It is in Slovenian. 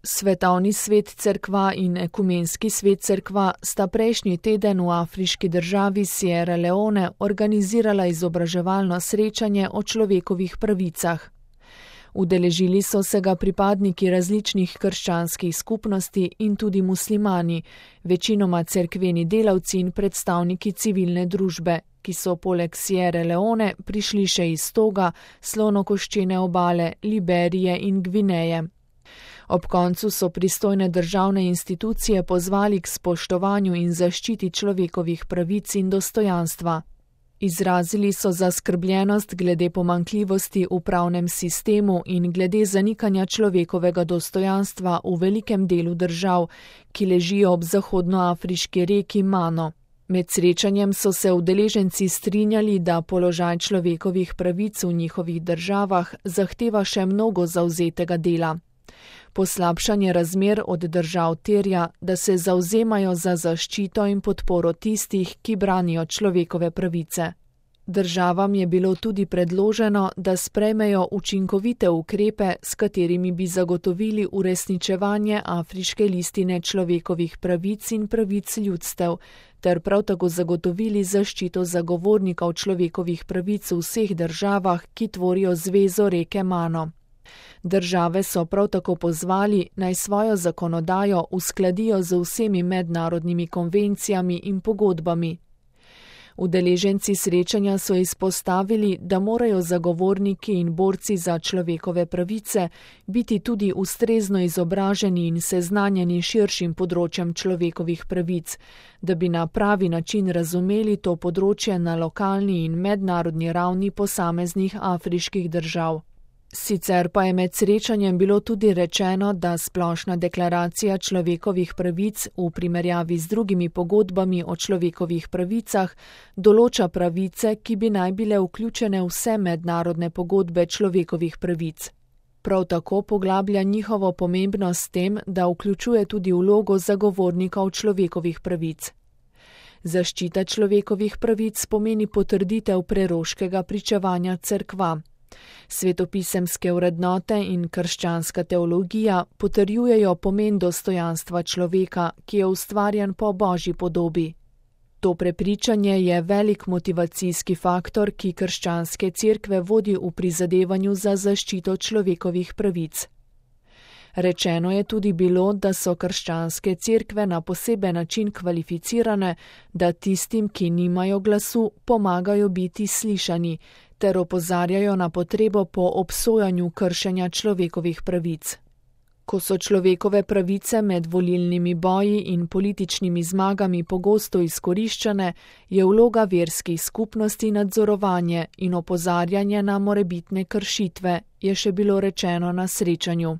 Svetovni svet cerkva in ekumenski svet cerkva sta prejšnji teden v afriški državi Sierra Leone organizirala izobraževalno srečanje o človekovih pravicah. Udeležili so se ga pripadniki različnih krščanskih skupnosti in tudi muslimani, večinoma cerkveni delavci in predstavniki civilne družbe, ki so poleg Sierra Leone prišli še iz Toga, Slonokoščene obale, Liberije in Gvineje. Ob koncu so pristojne državne institucije pozvali k spoštovanju in zaščiti človekovih pravic in dostojanstva. Izrazili so zaskrbljenost glede pomanjkljivosti v pravnem sistemu in glede zanikanja človekovega dostojanstva v velikem delu držav, ki ležijo ob zahodnoafriški reki Mano. Med srečanjem so se udeleženci strinjali, da položaj človekovih pravic v njihovih državah zahteva še mnogo zavzetega dela. Poslabšanje razmer od držav terja, da se zavzemajo za zaščito in podporo tistih, ki branijo človekove pravice. Državam je bilo tudi predloženo, da sprejmejo učinkovite ukrepe, s katerimi bi zagotovili uresničevanje afriške listine človekovih pravic in pravic ljudstev, ter prav tako zagotovili zaščito zagovornikov človekovih pravic v vseh državah, ki tvorijo zvezo reke Mano. Države so prav tako pozvali, naj svojo zakonodajo uskladijo z vsemi mednarodnimi konvencijami in pogodbami. Udeleženci srečanja so izpostavili, da morajo zagovorniki in borci za človekove pravice biti tudi ustrezno izobraženi in seznanjeni širšim področjem človekovih pravic, da bi na pravi način razumeli to področje na lokalni in mednarodni ravni posameznih afriških držav. Sicer pa je med srečanjem bilo tudi rečeno, da splošna deklaracija človekovih pravic v primerjavi z drugimi pogodbami o človekovih pravicah določa pravice, ki bi naj bile vključene vse mednarodne pogodbe človekovih pravic. Prav tako poglablja njihovo pomembnost s tem, da vključuje tudi vlogo zagovornikov človekovih pravic. Zaščita človekovih pravic pomeni potrditev preroškega pričevanja cerkva. Svetopisemske vrednote in krščanska teologija potrjujejo pomen dostojanstva človeka, ki je ustvarjen po Božji podobi. To prepričanje je velik motivacijski faktor, ki krščanske cerkve vodi v prizadevanju za zaščito človekovih pravic. Rečeno je tudi bilo, da so krščanske cerkve na poseben način kvalificirane, da tistim, ki nimajo glasu, pomagajo biti slišani, ter opozarjajo na potrebo po obsojanju kršenja človekovih pravic. Ko so človekove pravice med volilnimi boji in političnimi zmagami pogosto izkoriščane, je vloga verskih skupnosti nadzorovanje in opozarjanje na morebitne kršitve, je še bilo rečeno na srečanju.